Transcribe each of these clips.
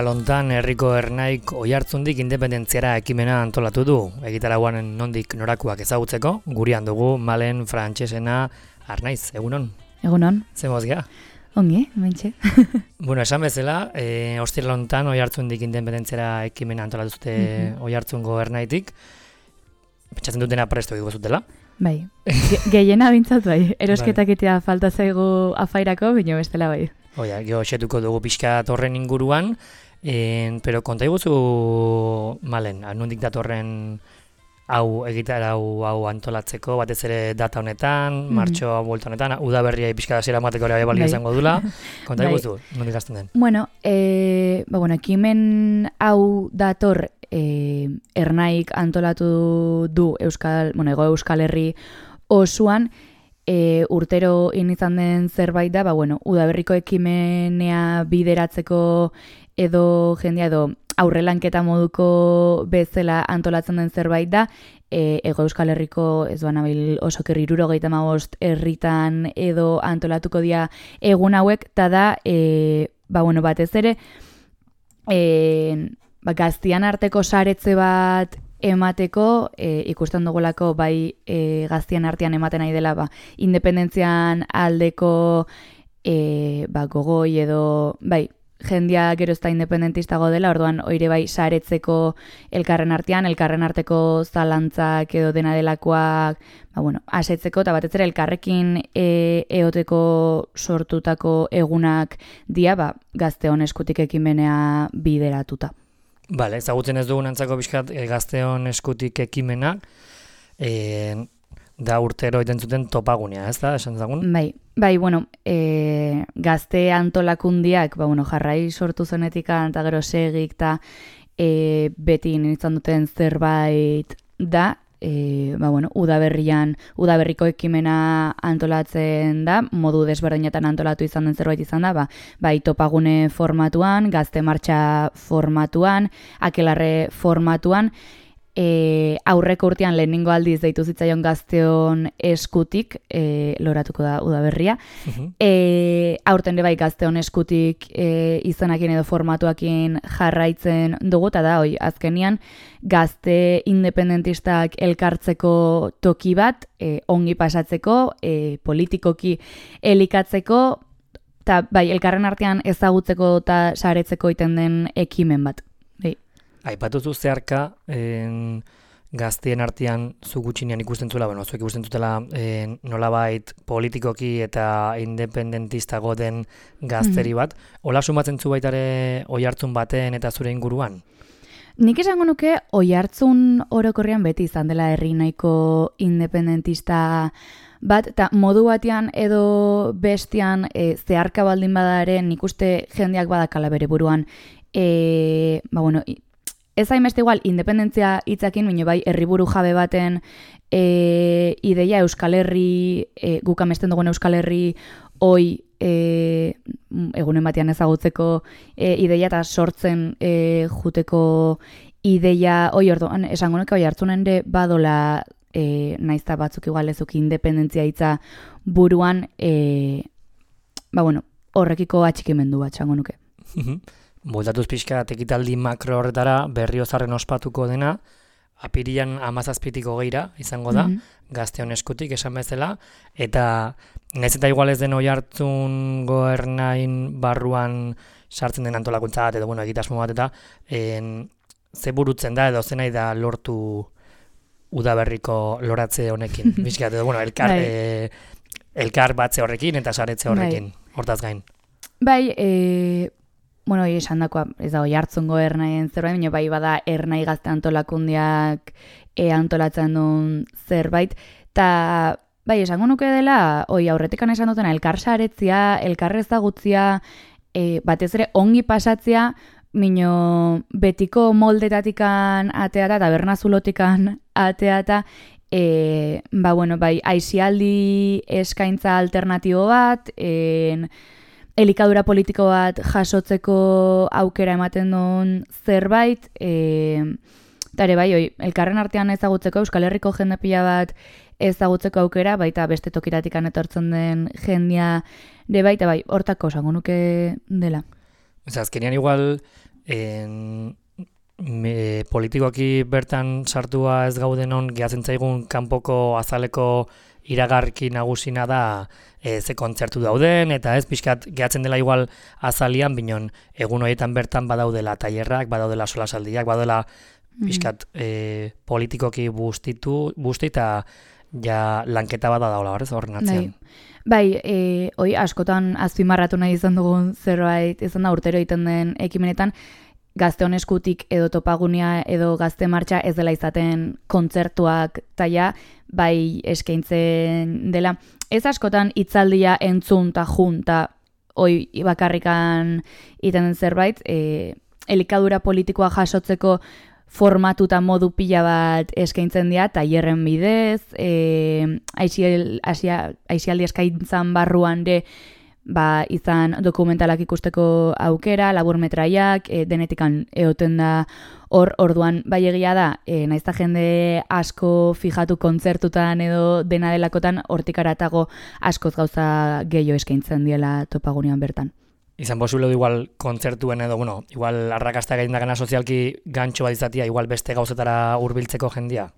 Ostiralontan herriko ernaik Oiartzundik independentziara ekimena antolatu du. Egitarauan nondik norakoak ezagutzeko, gurean dugu Malen Frantsesena Arnaiz, egunon? Egunon. Ze mozga? Ongi, mentxe. Bueno, esan bezala, Ostiralontan Oiartzundik independentziara ekimena antolatu zute Oiartzungo ernaitik. Pentsatzen dutena presto egingo zutela. Bai, gehiena bintzat bai. Erosketak etea falta zaigu afairako, bino bestela bai. Oia, jo xetuko dugu pixka torren inguruan, pero konta iguzu, Malen, nondik datorren hau hau antolatzeko, batez ere data honetan, martxoa buelta honetan, udaberria pixka hasiera emateko ere balio izango dula. Konta iguzu, nondik hasten den? Bueno, ekimen hau dator ernaik antolatu du Hego Euskal Herri osoan, urtero izan den zerbait da, udaberriko ekimenea bideratzeko edo jendea edo aurrelanketa moduko bezala antolatzen den zerbait da, Hego Euskal Herriko ez duan abil osoker 75 herritan edo antolatuko dira egun hauek, eta da, batez ere, gaztian arteko saretze bat emateko, ikusten dugulako bai gaztian artean ematen nahi dela independentzian aldeko gogoi edo bai jendia gero ez da independentistago dela, orduan oire bai saretzeko elkarren arteko zalantzak edo dena delakoak asetzeko, eta batez ere elkarrekin eoteko sortutako egunak dia gazteon eskutik ekimenea bideratuta. Bale, ezagutzen ez dugun antzako pixkat gazteon eskutik ekimenak, da urtero iten zuten topagunea, ez da, esan zagun? Bai, gazte antolakundiak, jarrai sortu zenetik eta gero segik eta beti nintzen duten zerbait da, udaberriko ekimena antolatzen da, modu desberdinetan antolatu izan den zerbait izan da, bai topagune formatuan, gazte martxa formatuan, akelarre formatuan, aurreko urtean lehenengo aldiz deitu zitzaion gazteon eskutik, loratuko da udaberria, aurten bai gazteon eskutik izenakin edo formatuakin jarraitzen dugu, eta da, azkenian, gazte independentistak elkartzeko toki bat, ongi pasatzeko, politikoki elikatzeko, eta bai, elkarren artean ezagutzeko eta saretzeko iten den ekimen bat. Aipatuzu zeharka, gaztien artean zu gutxinean ikusten zuela, zuek ikusten zutela nolabait politikoki eta independentistago den gazteri bat. Hola sumatzen zu baitare Oiartzun baten eta zure inguruan? Nik esango nuke Oiartzun orokorrean beti izan dela herri nahiko independentista bat, eta modu batean edo bestian zeharka baldin badaren nik uste jendeak badakala bere buruan, ez hainbeste igual independentzia hitzakin, baina bai herriburu jabe baten ideia Euskal Herri, guk amesten dugun Euskal Herri hoi egunen batean ezagutzeko ideia eta sortzen juteko ideia hoi orduan, esango nuke Oiartzunen ere badola naizta batzuk igual ezuk independentzia hitza buruan, horrekiko atxikimendu bat esango nuke. Moldatuz pixka ekitaldi makro horretara Berriozarren ospatuko dena, apirilan 17-20 izango da, gazteon eskutik esan bezala, eta nahiz eta igual ez den Oiartzungo ernain barruan sartzen den antolakuntza bat, edo egitasmo bat, eta ze burutzen da, edo ze nahi da lortu udaberriko loratze honekin. Bizkat, edo elkar batze horrekin eta saretze horrekin, hortaz gain. Esan dakoa, ez da Oiartzungo ernaien zerbait, baina bai bada ernai gazte antolakundiak antolatzen duen zerbait, eta bai, esango nuke dela, aurretikan esan dutena, elkar saretzia, elkar ezagutzia, batez ere ongi pasatzia, mino betiko moldetatikan ateata, tabernazulotikan ateata, aizialdi eskaintza alternatibo bat, elikadura politiko bat jasotzeko aukera ematen duen zerbait, eta ere elkarren artean ezagutzeko, Euskal Herriko jende pila bat ezagutzeko aukera, baita beste tokiratikan etortzen den jendia de baita, hortako esango nuke dela. Azkenean igual politikoki bertan sartua ez gaudenon, gehatzen zaigun kanpoko azaleko iragarki nagusina da ze kontzertu dauden, eta ez pixkat gehatzen dela igual azalian, binon egun horietan bertan badaudela tailerrak, badaudela solasaldiak, badaudela pixkat politikoki busti eta ja lanketa bat daula horren atzean. Bai, askotan azpimarratu nahi izan dugun zerbait izan da urtero egiten den ekimenetan, Gazteon eskutik edo topagunia edo gazte martxa ez dela izaten kontzertuak taia, bai eskaintzen dela. Ez askotan hitzaldia entzun ta junta hoi bakarrikan iten den zerbait, elikadura politikoa jasotzeko formatuta modu pila bat eskaintzen dira, tailerren bidez, aisialdi eskaintzan barruan de izan dokumentalak ikusteko aukera, laburmetraiak, denetikan egoten da orduan bai egia da, naizta jende asko fijatu kontzertutan edo dena delakotan, hortik aratago askoz gauza gehiago eskaintzen diela topagunean bertan. Izan posible du igual kontzertuen edo, igual arrakasta gaindagana sozialki gantxo bat izatea, igual beste gauzetara hurbiltzeko jendia?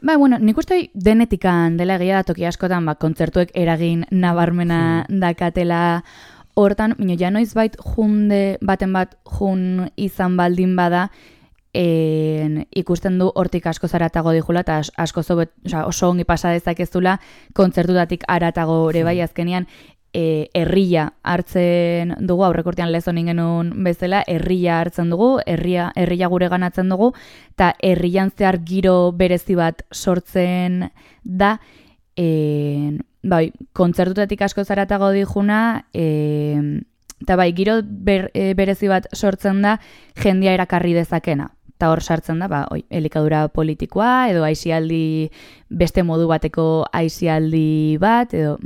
Nik uste denetikan dela egia da toki askotan, kontzertuek eragin nabarmena dakatela hortan, ja noiz junde baten bat jun izan baldin bada, ikusten du hortik asko zaratago dijula, eta oso ongi pasa dezakezula kontzertutatik aratago ere bai azkenean, herria hartzen dugu, aurrekortean lezon ingenun bezala, herria hartzen dugu, herria gure ganatzen dugu, eta herrian zehar giro berezi bat sortzen da, kontzertutatik asko zaratago dijuna, eta giro berezi bat sortzen da, jendia erakarri dezakena. Eta hor sartzen da, elikadura politikoa, edo aisialdi, beste modu bateko aisialdi bat, edo,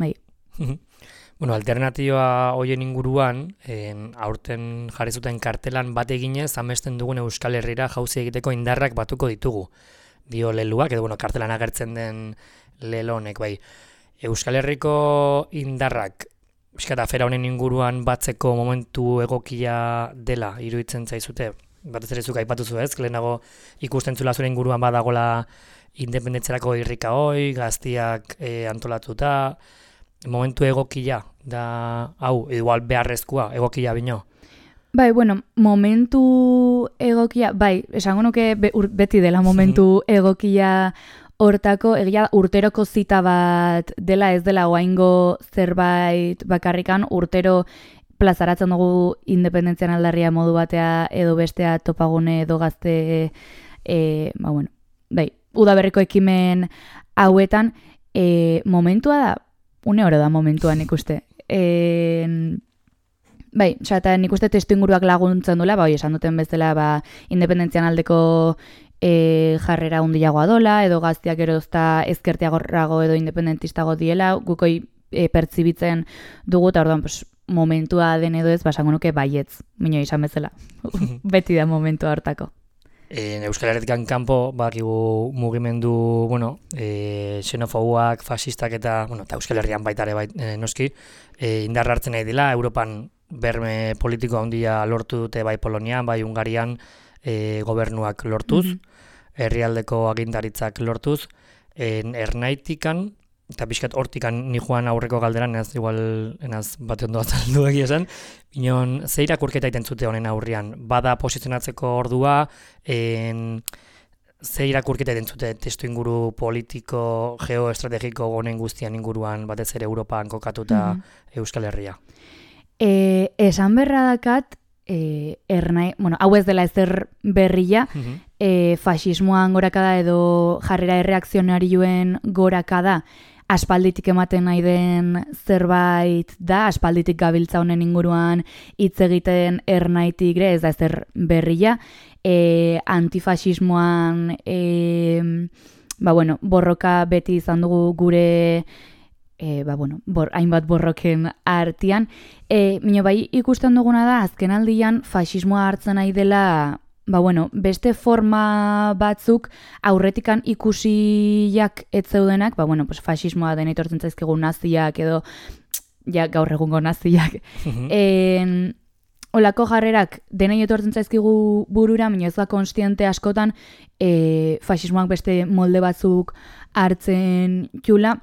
alternatioa hoien inguruan, aurten jarri zuten kartelan bat eginez, amesten dugun Euskal Herrira jauzi egiteko indarrak batuko ditugu. Dio leluak, edo kartelan agertzen den lelo honek, Euskal Herriko indarrak, pixkat afera honen inguruan batzeko momentu egokia dela, iruditzen zaizute, batez ere zuk aipatuzu ez, lehenago ikusten zula zure inguruan badagola independentzerako irrika hoi, gaztiak antolatuta, momentu egokia da, igual beharrezkoa, egokia bino. Momentu egokia, esango nuke beti dela momentu egokia hortako, egia urteroko zita bat dela, ez dela oaingo zerbait bakarrikan, urtero plazaratzen dugu independentzian aldarria modu batea edo bestea topagune edo gazte, udaberriko ekimen hauetan, momentua da, une oro da momentuan ikuste. Eta nik uste testu inguruak laguntzen duela, esan duten bezala independentzian aldeko jarrera hundiagoa dola, edo gaztiak erozta ezkertiagorago edo independentistago diela, gukoi pertsibitzen dugu, eta orduan momentua den edo ez, basango nuke baietz, minoi izan bezala. Beti da momentua hortako. Euskal Herritikan kanpo bakigu mugimendu, xenofobuak, fasistak eta Euskal Herrian baita ere noski, indarra hartzen nahi dela, Europan berme politiko handia lortu dute bai Polonian, bai Hungarian gobernuak lortuz, herrialdeko agintaritzak lortuz, ernaitikan, eta pixkat hortikan ni joan aurreko galderan, enaz bat ondo azaldu egia esan, inon, ze irakurketa iten zute honen aurrian? Bada posizionatzeko ordua, ze irakurketa iten zute testu inguru politiko, geoestrategiko honen guztian inguruan, batez ere Europan kokatuta Euskal Herria? Esan berra dakat, hau ez dela ezer berria, fasismoan gorakada edo jarrera erreakzionarioen gorakada aspalditik ematen nahi den zerbait da, aspalditik gabiltza honen inguruan hitz egiten ernaitik ez da ezer berria, antifasismoan borroka beti izan dugu gure hainbat borroken artean. Ikusten duguna da, azken aldian fasismoa hartzen nahi dela beste forma batzuk aurretikan ikusiak ez zeudenak, fasismoa den etortzen zaizkigu naziak edo gaur egungo naziak. olako jarrerak denei etortzen zaizkigu burura, baina ez da konstiente askotan fasismoak beste molde batzuk hartzen jula.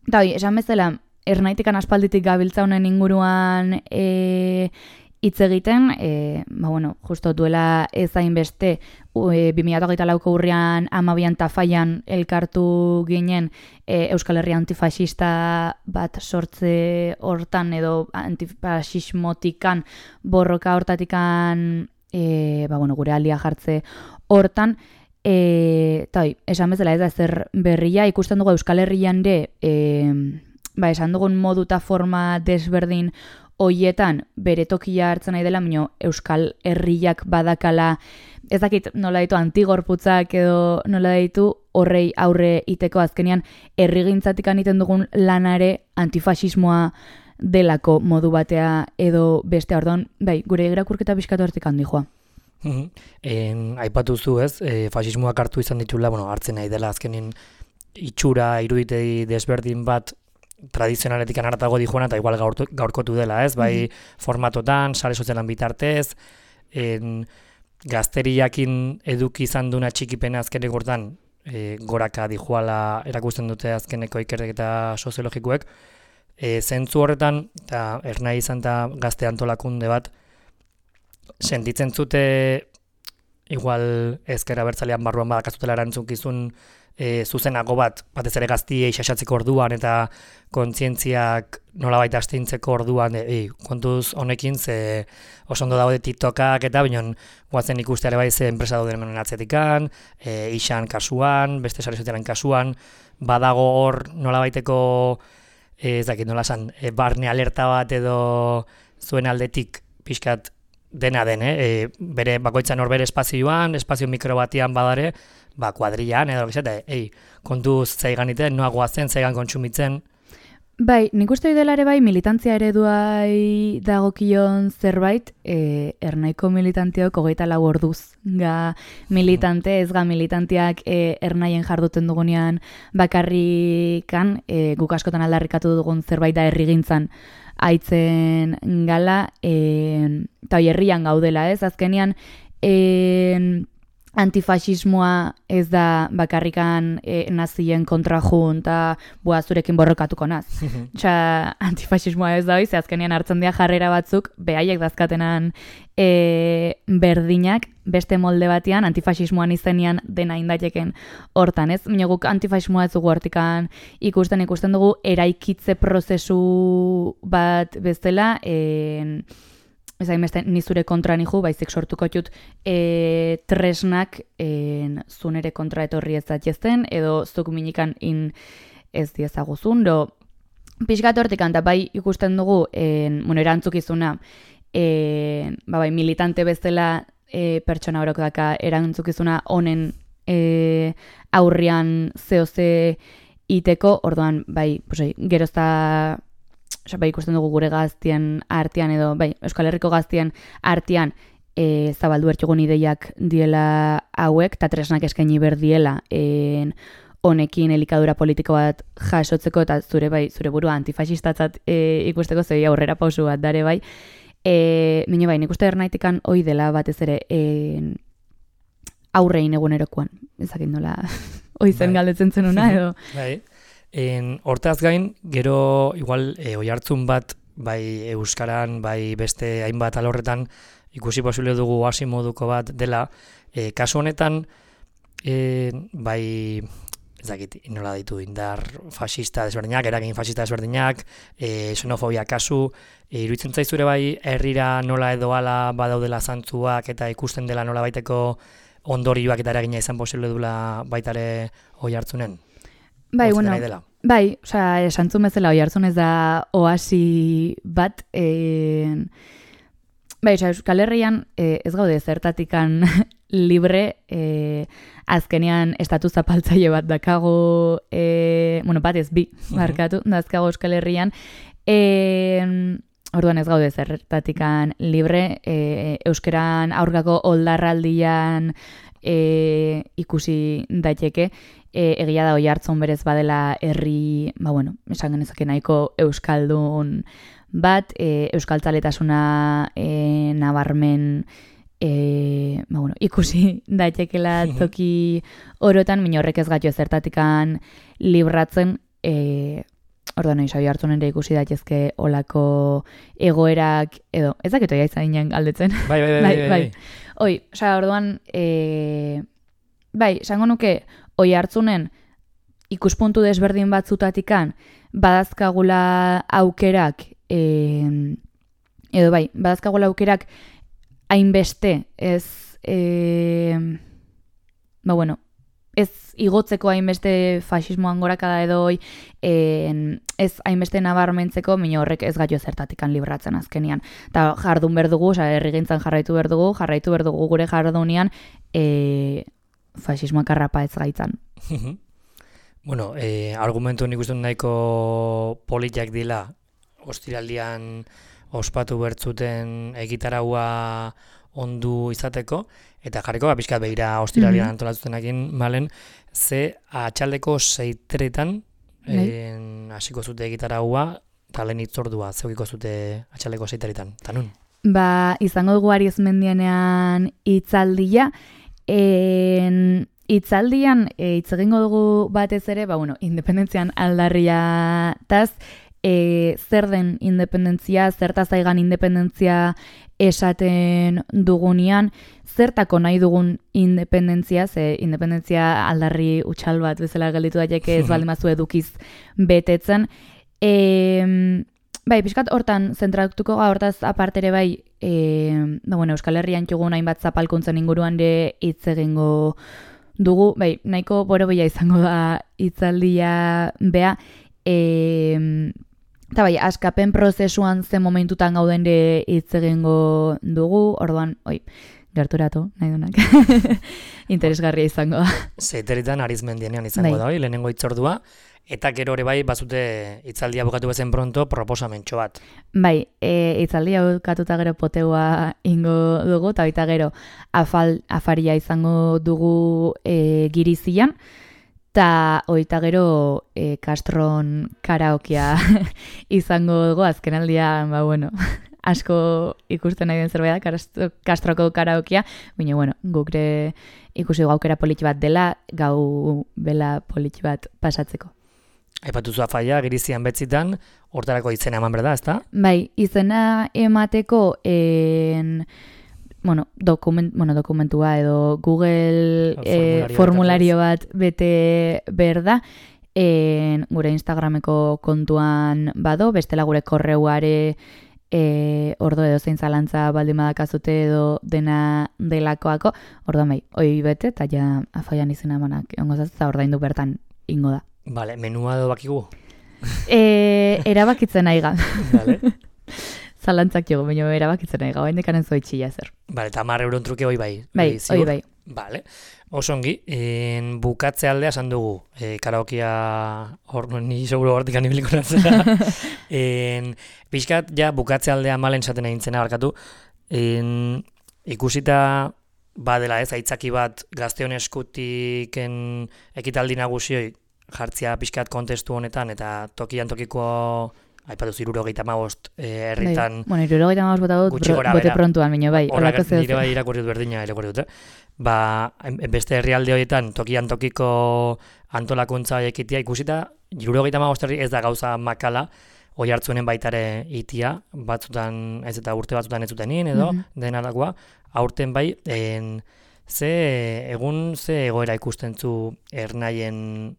Eta esan bezala, ernaitikan aspalditik gabiltza honen inguruan hitz egiten, justo duela ezain beste 2024ko urrian 12an Tafallan elkartu ginen Euskal Herria antifasista bat sortze hortan edo antifasismotikan borroka hortatikan gure alia jartze hortan, esan bezala ez da ezer berria, ikusten dugu Euskal Herrian esan dugun modu eta forma desberdin hoietan bere tokia hartzen nahi dela, baina Euskal Herriak badakala, ez dakit nola ditu antigorputzak edo nola ditu horrei aurre iteko azkenean herrigintzatik egiten dugun lanare antifasismoa delako modu batea edo beste orduan, gure irakurketa pixkatu hortik handi joa. Aipatu zu ez, fasismoak hartu izan ditula, hartzen nahi dela azkenin itxura iruditei desberdin bat tradizionaletik haratago dijoana eta igual gaurkotu dela, ez? Bai formatotan, sare sozialan bitartez, gazteriakin eduki izan duna txikipena azkenek hortan goraka dijoala erakusten dute azkeneko ikerketa soziologikoek. Zentzu horretan, eta ernai izan eta gazte antolakunde bat, sentitzen zute igual ezker abertzalean barruan badakazutela erantzunkizun zuzenago batez ere gaztiei xaxatzeko orduan eta kontzientziak nolabait astintzeko orduan kontuz honekin ze oso ondo daude TikTokak eta binon guazen ikusteare bai ze enpresa dauden hemen atzetikan, Ixan kasuan, beste sare sozialen kasuan, badago hor nolabaiteko ez dakit nola esan, barne alerta bat edo zuen aldetik pixkat dena den, bere bakoitzan hor bere espazioan, espazio mikro batian badare, kuadrillan edo kontuz zeigan iten, noa goazen, zeigan kontsumitzen. Nik uste dela ere militantzia ereduai dagokion zerbait, ernaiko militanteok 24 orduz ga militante, ez ga militanteak ernaien jarduten dugunean bakarrikan, guk askotan aldarrikatu dugun zerbait da herrigintzan aitzen gala, eta herrian gaudela, ez? Azkenean, antifasismoa ez da bakarrikan nazien kontra jun eta zurekin borrokatuko naz. Antifasismoa ez da hoi, ze azkenean hartzen dira jarrera batzuk, behaiek dazkatenan berdinak, beste molde batean, antifasismoan izenean dena indateken hortan, ez? Baina guk antifasismoa ez dugu hortikan ikusten dugu eraikitze prozesu bat bezala, ez hainbeste nizure kontra nihu, baizik sortuko jut tresnak zunere kontra etorri ez zatiezen, edo zuk minikan ez diezaguzun, pixkat hortikan, eta bai ikusten dugu, erantzukizuna, militante bezala pertsona horoko daka erantzukizuna honen aurrian zehose iteko, orduan, gerozta ikusten dugu gure gaztien artean edo, Euskal Herriko gaztien artean zabaldu bertxugun ideiak diela hauek, eta tresnak eskaini berdiela honekin elikadura politiko bat jasotzeko, eta zure burua antifasistatzat ikusteko zei aurrera pausu bat dare Mine nik uste ernaitikan hoi dela batez ere aurrein egunerokoan, ezakit nola hoi zen galdetzen zenuna edo. Hortaz gain, gero igual oihartzun bat euskaran, beste hainbat alorretan ikusi posible dugu hasi moduko bat dela. Kasu honetan, ezakit nola ditu indar fascista desberdinak, eragin fascista desberdinak, xenofobia kasu, iruditzen zaizure herrira nola edo ala badaudela zantzuak eta ikusten dela nola baiteko ondorioak eta eragina izan posible dula baitare oihartzunen? Esantzun bezala oihartzun ez da oasi bat, Euskal Herrian ez gaude zertatikan libre, azkenean estatu zapaltzaile bat dakago, bat ez bi, markatu, dazkago Euskal Herrian, orduan ez gaude zertatikan libre, euskeran aurkako oldarraldian ikusi daiteke, egia da oihartzun berez badela herri, esan genezake nahiko euskaldun bat, euskaltzaletasuna nabarmen ikusi daitekela toki orotan, min horrek ez gatio zertatikan libratzen, orduan nahi hartzen ere ikusi daitezke olako egoerak, edo, ez dakitu jaizainan galdetzen. Bai. Orduan, esango nuke, oi hartzunen ikuspuntu desberdin batzutatikan, badazkagula aukerak, badazkagula aukerak hainbeste, ez igotzeko hainbeste fasismoan gorakada edo ez hainbeste nabarmentzeko, min horrek ez gaio zertatikan libratzen azkenian. Eta jardun berdugu, herrigintzan jarraitu berdugu gure jardunean fasismoak arrapa ez gaitzan. Bueno, argumentu nik uste nahiko politiak dila, ostiraldian ospatu bertzuten egitaraua ondu izateko, eta jarriko pixkat behira ostiralian antolatzutenakin malen, ze atxaldeko 6:00 hasiko zute egitaraua, eta lehen itzordua zeukiko zute atxaldeko 6:00, eta nun? Izango dugu Ariezmendianean itzaldia, itzaldian hitz egingo dugu batez ere, independentzian aldarriataz, zer den independentzia, zertaz aigan independentzia esaten dugunean, zertako nahi dugun independentzia, ze independentzia aldarri utxal bat bezala gelditu daiteke ez baldin bazu edukiz betetzen. Pixkat hortan zentratuko hortaz apartere Euskal Herrian txugun hainbat zapalkuntzen inguruan de hitz egingo dugu, nahiko borobila izango da hitzaldia bea, eta askapen prozesuan zen momentutan gauden de hitz egingo dugu, orduan, gerturatu, nahi dunak, interesgarria izango da. 6:00 Arizmendianean izango da, lehenengo hitzordua, eta gero hori batzute hitzaldia bukatu bezen pronto proposamentxo bat. Hitzaldia bukatuta gero poteua ingo dugu, eta baita gero afaria izango dugu Girizian, eta oita gero Castron karaokia izango dugu, azkenaldia, asko ikusten nahi den zerbait da, Castroko karaokia, baina, gukre ikusi gaukera politxi bat dela, gau bela politxi bat pasatzeko. Aipatuzu afaia, Girizian betzitan, hortarako izena eman berda, ezta? Izena emateko dokumentua edo Google formulario bat bete berda, gure Instagrameko kontuan bado, bestela gure korreuare ordo edo zein zalantza baldin badakazute edo dena delakoako, orduan hoi bete, eta ja afaian izena emanak ongo zazta ordaindu bertan ingo da. Vale, menua edo bakigu? Erabakitzen aiga. Vale. Zalantzak jogo, baina erabakitzen aiga, baina dekanen zoitxilla zer. Vale, eta 10 euron truke hoi bai. Hoi bai. Vale. Oso ongi, bukatze aldea esan dugu, karaokia ni seguro hortik anibiliko natzera. Pixkat, bukatze aldea malen esaten egin zena barkatu. Ikusita badela ez, aitzaki bat gazteon eskutiken ekitaldi nagusioi jartzia pixkat kontestu honetan, eta tokian tokiko aipatu 75 herritan. 75 bote bote prontuan, baina bai. Nire bai irakurri dut berdina irakurri dut. Beste herrialde horietan tokian tokiko antolakuntza ekitia ikusita, 75 herri ez da gauza makala, hoi hartzuenen baitare itia, batzutan ez eta urte batzutan ez zuten nien edo, denalakoa, aurten bai, ze egoera ikusten zu ernaien,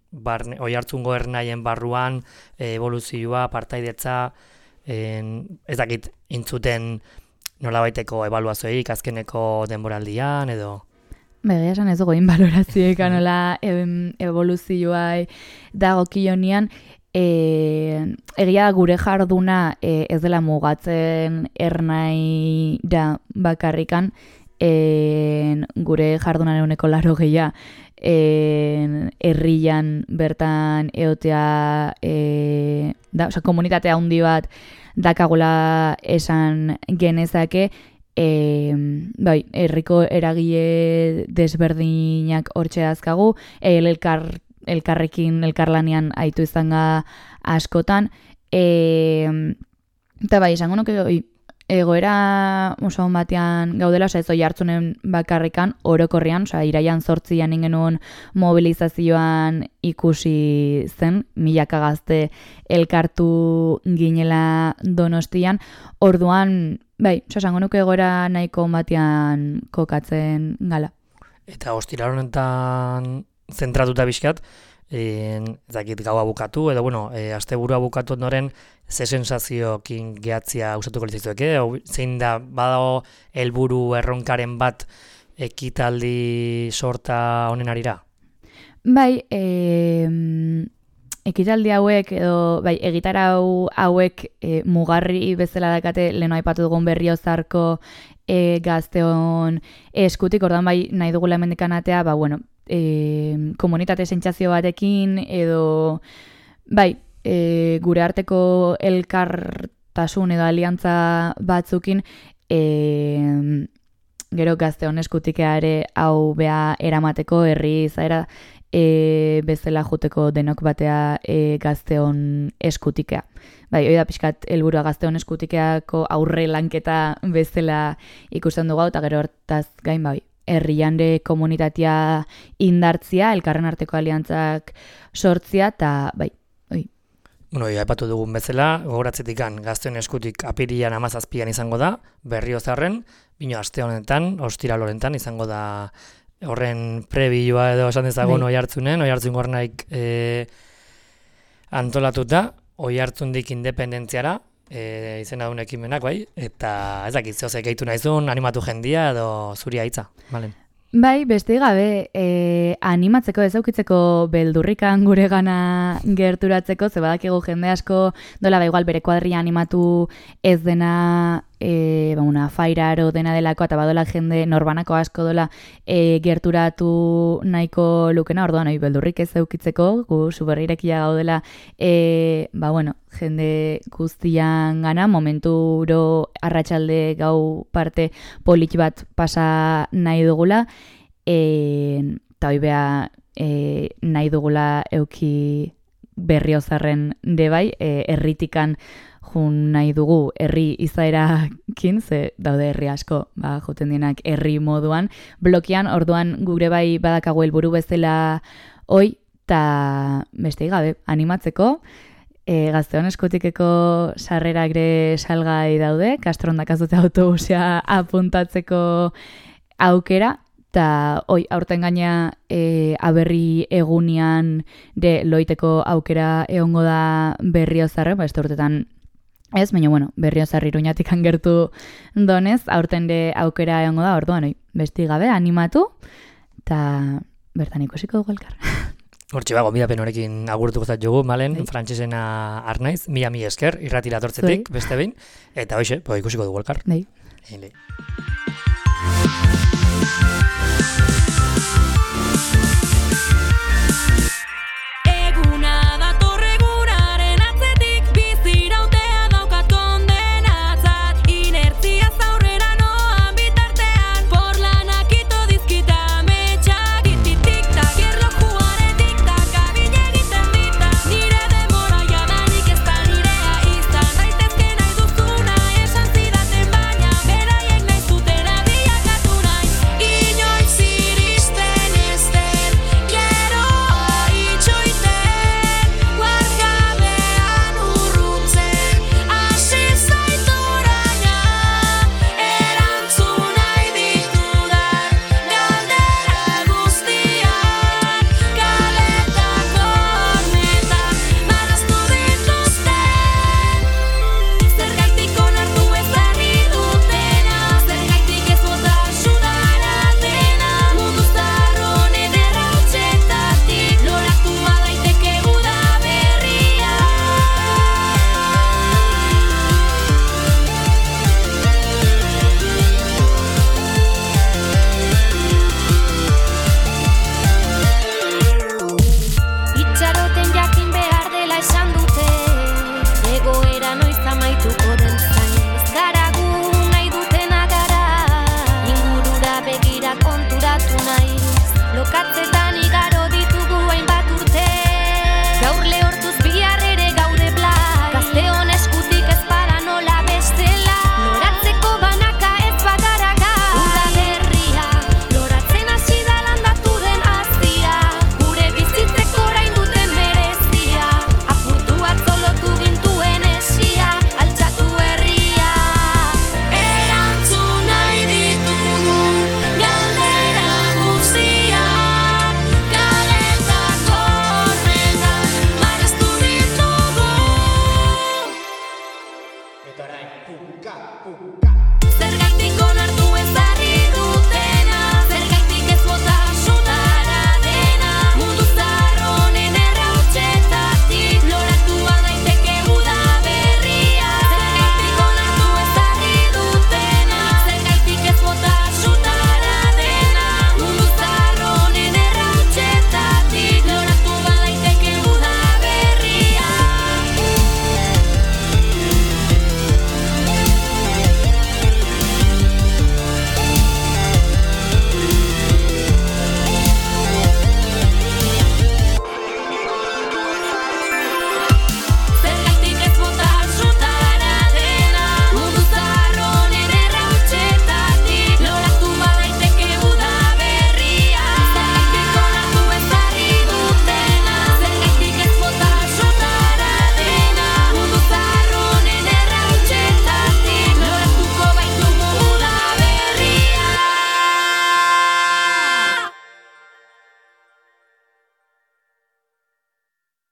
hoi hartzungo ernaien barruan, evoluzioa, partaidetza, ez dakit intzuten nolabaiteko ebaluazioik azkeneko denboraldian edo? Egia esan ez dugu inbalorazioek anola evoluzioa dagokionean, egia gure jarduna ez dela mugatzen ernaira bakarrikan, gure jardunan 80% herrian bertan eotea, komunitate handi bat dakagula esan genezake, herriko eragile desberdinak hortxe azkagu, elkarlanean aitu izanga askotan, Eta bai, esango nuke egoera oso batean gaudela, ez oi hartzunen bakarrikan, orokorrean, iraian 8an ingenuen mobilizazioan ikusi zen, milaka gazte elkartu ginela Donostian, orduan, bai, esango nuke egoera nahiko batean kokatzen gala. Eta ostiral honetan zentratuta bizkat, ezakit gaua bukatu, edo bueno, asteburua bukatu ondoren, ze sensazioekin gehatzia usatuko litzaizue, zein da badago helburu erronkaren bat ekitaldi sorta honen arira? Bai, ekitaldi hauek edo bai, egitarau hauek mugarri bezala dakate leno aipatu dugun Berriozarko gazteon eskutik, ordan bai nahi dugula hemendikan atea, ba bueno, komunitate sentsazio batekin edo bai, gure arteko elkartasun edo aliantza batzukin gero gazteon eskutikea ere hau bea eramateko herri izaera bezala juteko denok batea gazteon eskutikea. Bai, hori da pixkat helburua gazteon eskutikeako aurre lanketa bezala ikusten dugu eta gero hortaz gain bai. Herriande komunitatea indartzia, elkarren arteko aliantzak sortzia, eta bai, oi. Bueno, aipatu dugun bezala, gogoratzetikan gazteon eskutik apirilan 17an izango da, Berriozarren, bino aste honetan, ostiral honetan izango da horren prebilua edo esan dezagun Oiartzun Gornaik antolatuta, Oiartzundik independentziara, izena duen ekimenak, bai, eta ez dakit zehozek gehitu nahizun, animatu jendia edo zuria hitza, Malen. Bai, beste gabe, animatzeko ez aukitzeko beldurrikan gure gana gerturatzeko, ze badakigu jende asko dola da igual bere kuadria animatu ez dena una fairaro dena delako, eta badola jende norbanako asko dola gerturatu nahiko lukena, orduan beldurrik ez aukitzeko, gu superrirekia gaudela, ba bueno, jende guztian gana, momenturo arratsalde gau parte polit bat pasa nahi dugula, eta hoi beha nahi dugula euki Berriozarren debai, herritikan jun nahi dugu herri izaerakin, ze daude herri asko, ba, juten dienak herri moduan, blokean, orduan gure bai badakago helburu bezala hoi, eta beste gabe, animatzeko, gazteon eskutikeko sarrera gre salgai daude, Kastrondak azute autobusea apuntatzeko aukera, eta hoi, aurten gaina aberri egunian de loiteko aukera egongo da Berriozarren, ba, ez urtetan ez, baina bueno, Berriozar Iruñatik gertu donez, aurten de aukera egongo da, orduan, hoi, besti gabe, animatu, eta bertan ikusiko dugu elkar. Hortxe bago, midapen horekin agurtu gozat jogu, Malen, frantsesena arnaiz, mila esker, irratira tortzetik, beste behin, eta hoxe, ikusiko dugu elkar. Bai.